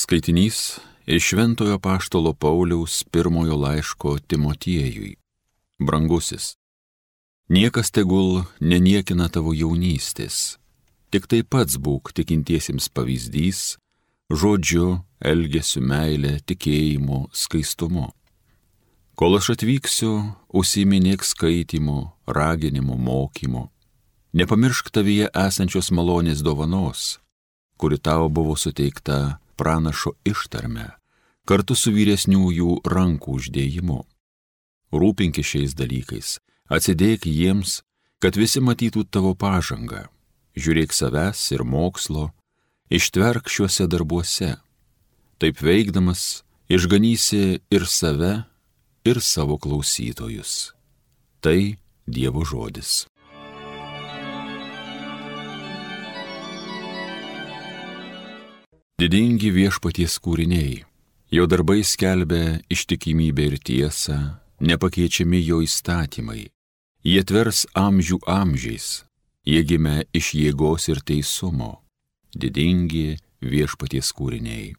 Skaitinys iš Šventojo apaštalo Pauliaus pirmojo laiško Timotiejui. Brangusis, niekas tegul neniekina tavo jaunystės, tik tai pats būk tikintiesiems pavyzdys, žodžiu, elgesiu, meile, tikėjimu, skaistumu. Kol aš atvyksiu, užsiiminėk skaitimu, raginimu, mokymu. Nepamiršk tavyje esančios malonės dovanos, kuri tau buvo suteikta pranašo ištarme, kartu su vyresniųjų rankų uždėjimu. Rūpinkis šiais dalykais, atsidėk jiems, kad visi matytų tavo pažangą. Žiūrėk savęs ir mokslo, ištverk šiuose darbuose. Taip veikdamas, išganysi ir save, ir savo klausytojus. Tai Dievo žodis. Didingi Viešpaties kūriniai, jo darbai skelbia ištikimybę ir tiesą, nepakeičiami jo įstatymai. Jie tvers amžių amžiais, jie gimė iš jėgos ir teisumo. Didingi Viešpaties kūriniai.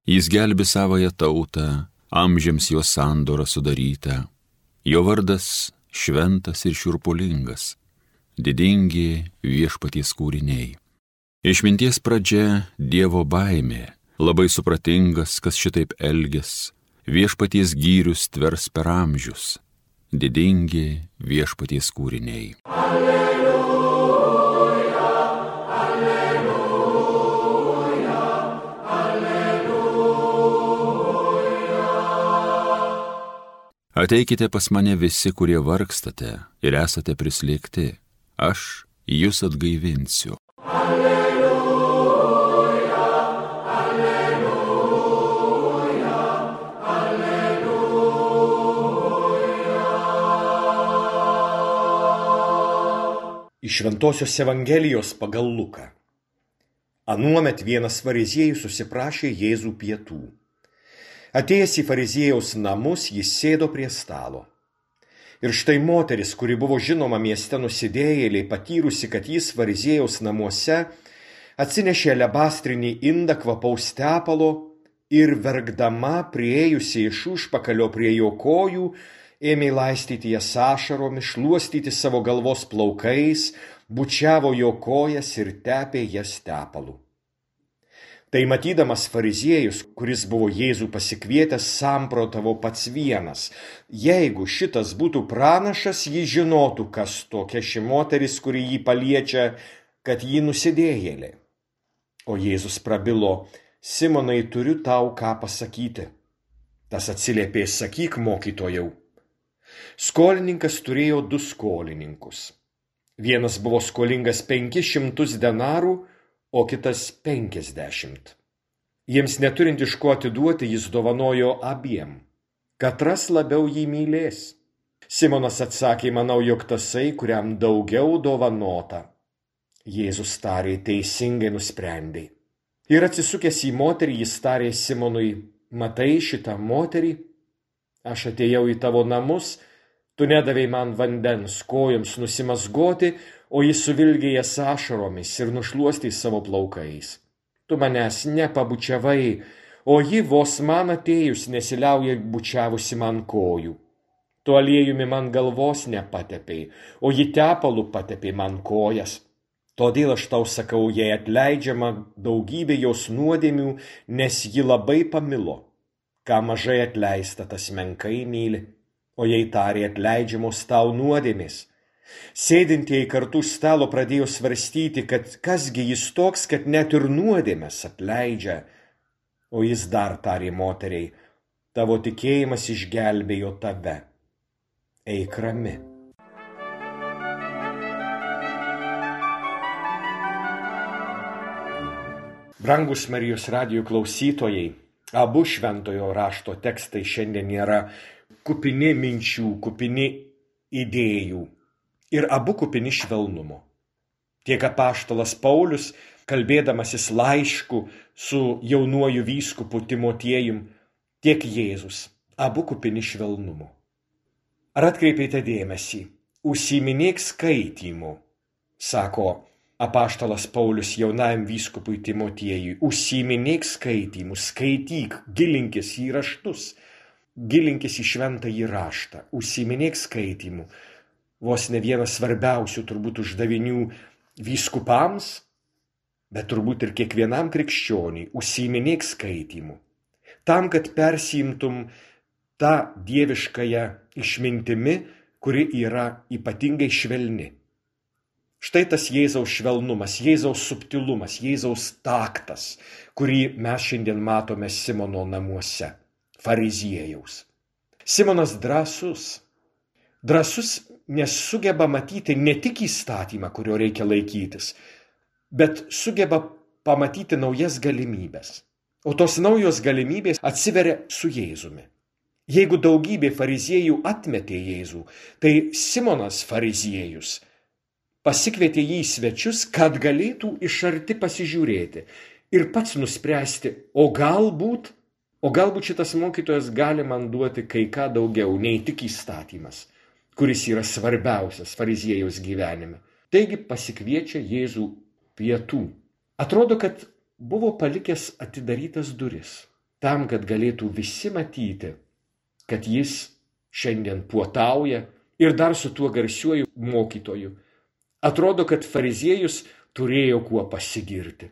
Jis gelbi savąją tautą, amžiams jo sandora sudaryta. Jo vardas šventas ir šiurpulingas. Didingi Viešpaties kūriniai. Išminties pradžia Dievo baimė, labai supratingas, kas šitaip elgės, Viešpaties gyrius tvers per amžius, didingi Viešpaties kūriniai. Alleluja, alleluja, alleluja. Ateikite pas mane visi, kurie vargstate ir esate prislėgti, aš jus atgaivinsiu. Iš Šventosios Evangelijos pagal Luką. Anuomet vienas fariziejus susiprašė Jėzų pietų. Atėjęs į fariziejaus namus, jis sėdo prie stalo. Ir štai moteris, kuri buvo žinoma mieste nusidėjėliai, patyrusi, kad jis fariziejaus namuose, atsinešė alebastrinį indą kvapaus tepalo ir verkdama priėjusi iš užpakalio prie jo kojų, ėmė laistyti jas ašaromis, šluostyti savo galvos plaukais, bučiavo jo kojas ir tepė jas tepalu. Tai matydamas fariziejus, kuris buvo Jėzų pasikvietęs, samprotavo pats vienas. Jeigu šitas būtų pranašas, jis žinotų, kas tokia ši moteris, kuri jį paliečia, kad ji nusidėjėlė. O Jėzus prabilo: Simonai, turiu tau ką pasakyti. Tas atsiliepė: sakyk, mokytojau. Skolininkas turėjo 2 skolininkus. Vienas buvo skolingas 500 denarų, o kitas 50. Jiems neturint iš ko atiduoti, jis dovanojo abiem. Katras labiau jį mylės? Simonas atsakė: manau, jog tasai, kuriam daugiau dovanota. Jėzus tarė: teisingai nusprendei. Ir atsisukęs į moterį, jis tarė Simonui: matai šitą moterį? Aš atėjau į tavo namus, tu nedavei man vandens kojoms nusimazgoti, o jis suvilgė jas ašaromis ir nušluostė savo plaukais. Tu manęs nepabučiavai, o ji vos man atėjus nesiliauja bučiavusi man kojų. Tu aliejumi man galvos nepatepei, o ji tepalu patepė man kojas. Todėl aš tau sakau, jai atleidžiama daugybė jos nuodėmių, nes ji labai pamilo. Ką mažai atleista, tas menkai myli, o jai tarė: atleidžiamos tau nuodėmės. Sėdintieji kartu stalo pradėjo svarstyti, kad kasgi jis toks, kad net ir nuodėmes atleidžia. O jis dar tarė moteriai: tavo tikėjimas išgelbėjo tave. Eik rami. Brangus Marijos radijo klausytojai, abu šventojo rašto tekstai šiandien yra kupini minčių, kupini idėjų ir abu kupini švelnumo. Tiek apaštalas Paulius, kalbėdamasis laišku su jaunuoju vyskupu Timotiejum, tiek Jėzus, abu kupini švelnumo. Ar atkreipėte dėmesį? Užsiiminėk skaitymu, sako Apaštalas Paulius jaunajam vyskupui Timotiejui: užsiiminėk skaitymu, skaityk, gilinkis į raštus, gilinkis į šventąjį raštą, užsiiminėk skaitymu. Vos ne vienas svarbiausių turbūt uždavinių vyskupams, bet turbūt ir kiekvienam krikščioniui: užsiiminėk skaitymu. Tam, kad persiimtum tą dieviškąją išmintimi, kuri yra ypatingai švelni. Štai tas Jėzaus švelnumas, Jėzaus subtilumas, Jėzaus taktas, kurį mes šiandien matome Simono namuose, fariziejaus. Simonas drąsus, nes sugeba matyti ne tik įstatymą, kurio reikia laikytis, bet sugeba pamatyti naujas galimybės. O tos naujos galimybės atsiveria su Jėzumi. Jeigu daugybė fariziejų atmetė Jėzų, tai Simonas fariziejus pasikvietė jį į svečius, kad galėtų iš arti pasižiūrėti ir pats nuspręsti, o galbūt šitas mokytojas gali man duoti kai ką daugiau, nei tik įstatymas, kuris yra svarbiausias fariziejaus gyvenime. Taigi pasikviečia Jėzų pietų. Atrodo, kad buvo palikęs atidarytas duris, tam, kad galėtų visi matyti, kad jis šiandien puotauja ir dar su tuo garsiuoju mokytoju. Atrodo, kad fariziejus turėjo kuo pasigirti.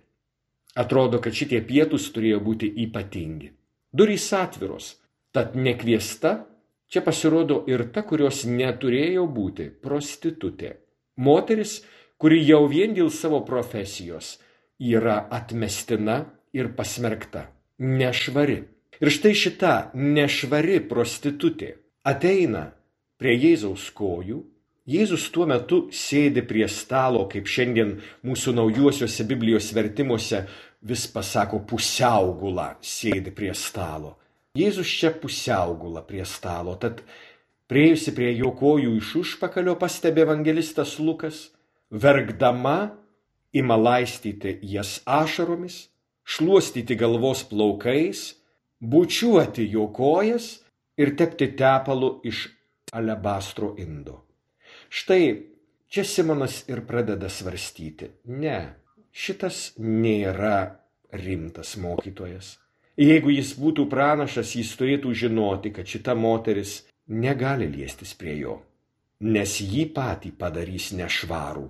Atrodo, kad šitie pietūs turėjo būti ypatingi. Durys atviros, tad nekviesta čia pasirodo ir ta, kurios neturėjo būti, prostitutė. Moteris, kuri jau vien dėl savo profesijos yra atmestina ir pasmerkta, nešvari. Ir štai šita nešvari prostitutė ateina prie Jėzaus kojų. Jėzus tuo metu sėdi prie stalo, kaip šiandien mūsų naujuosiuose Biblijos vertimuose vis pasako pusiaugula sėdi prie stalo. Jėzus čia pusiaugula prie stalo, tad priėjusi prie jo kojų iš užpakalio, pastebi evangelistas Lukas, verkdama ima laistyti jas ašaromis, šluostyti galvos plaukais, bučiuoti jo kojas ir tepti tepalu iš alebastro indo. Štai čia Simonas ir pradeda svarstyti. Ne, šitas nėra rimtas mokytojas. Jeigu jis būtų pranašas, jis turėtų žinoti, kad šita moteris negali liestis prie jo, nes jį patį padarys nešvarų.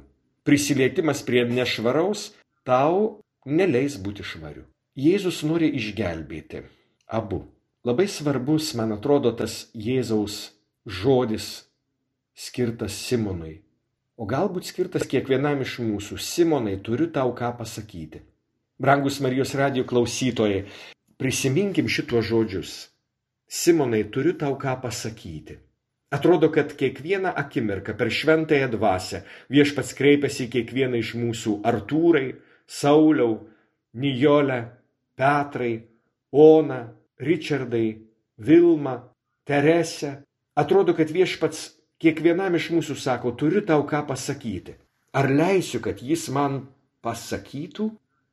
Prisilietimas prie nešvaraus tau neleis būti švariu. Jėzus nori išgelbėti abu. Labai svarbus, man atrodo, tas Jėzaus žodis skirtas Simonui, o galbūt skirtas kiekvienam iš mūsų. Simonai, turiu tau ką pasakyti. Brangus Marijos radijo klausytojai, prisiminkim šituos žodžius. Simonai, turiu tau ką pasakyti. Atrodo, kad kiekvieną akimirką per šventąją dvasią viešpats kreipiasi į kiekvieną iš mūsų: Artūrai, Sauliau, Nijolę, Petrai, Ona, Ričardai, Vilma, Teresė. Atrodo, kad viešpats kiekvienam iš mūsų sako: turiu tau ką pasakyti. Ar leisiu, kad jis man pasakytų?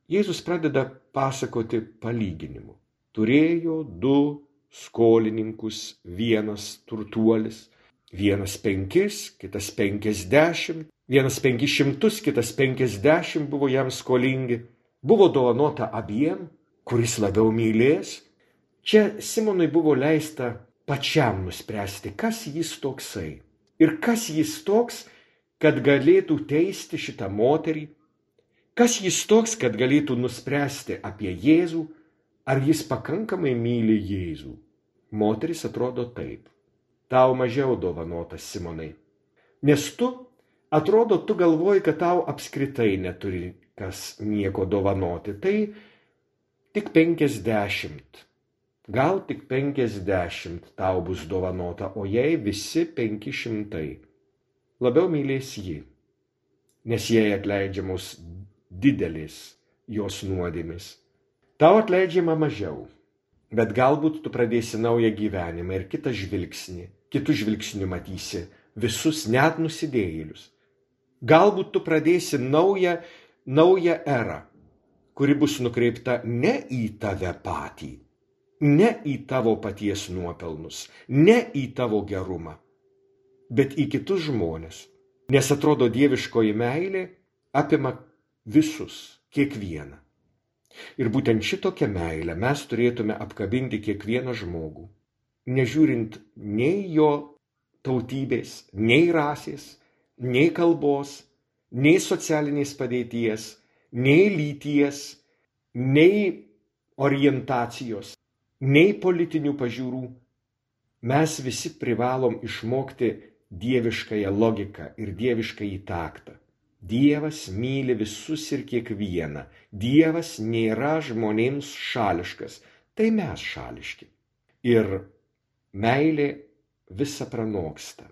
Jėzus pradeda pasakoti palyginimu. Turėjo 2 skolininkus, vienas turtuolis, vienas 5, kitas 50, vienas 500, kitas 50 buvo jam skolingi. Buvo dovanota abiem, kuris labiau mylės. Čia Simonui buvo leista pačiam nuspręsti, kas jis toksai. Ir kas jis toks, kad galėtų teisti šitą moterį? Kas jis toks, kad galėtų nuspręsti apie Jėzų, ar jis pakankamai myli Jėzų? Moteris atrodo taip. Tau mažiau dovanotas, Simonai. Nes tu galvoji, kad tau apskritai neturi kas nieko dovanoti. Tai tik 50. Gal tik 50 tau bus dovanota, o jai visi 500. Labiau mylės ji, nes jai atleidžiamos didelės jos nuodėmės. Tau atleidžiama mažiau, bet galbūt tu pradėsi naują gyvenimą ir kitų žvilgsnių matysi visus net nusidėjėlius. Galbūt tu pradėsi naują erą, kuri bus nukreipta ne į tave patį, ne į tavo paties nuopelnus, ne į tavo gerumą, bet į kitus žmonės. Nes atrodo, dieviškoji meilė apima visus, kiekvieną. Ir būtent šitokią meilę mes turėtume apkabinti kiekvieną žmogų, nežiūrint nei jo tautybės, nei rasės, nei kalbos, nei socialinės padėties, nei lyties, nei orientacijos, nei politinių pažiūrų. Mes visi privalom išmokti dieviškąją logiką ir dieviškąjį taktą. Dievas myli visus ir kiekvieną. Dievas nėra žmonėms šališkas, tai mes šališki. Ir meilė visa pranoksta.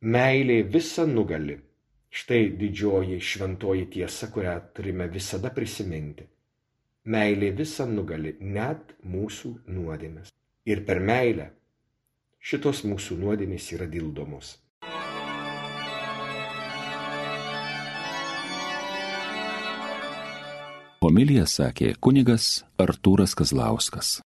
Meilė visa nugali. Štai didžioji šventoji tiesa, kurią turime visada prisiminti. Meilė visa nugali, net mūsų nuodėmes. Ir per meilę šitos mūsų nuodėmės yra dildomos. Homiliją sakė kunigas Artūras Kazlauskas.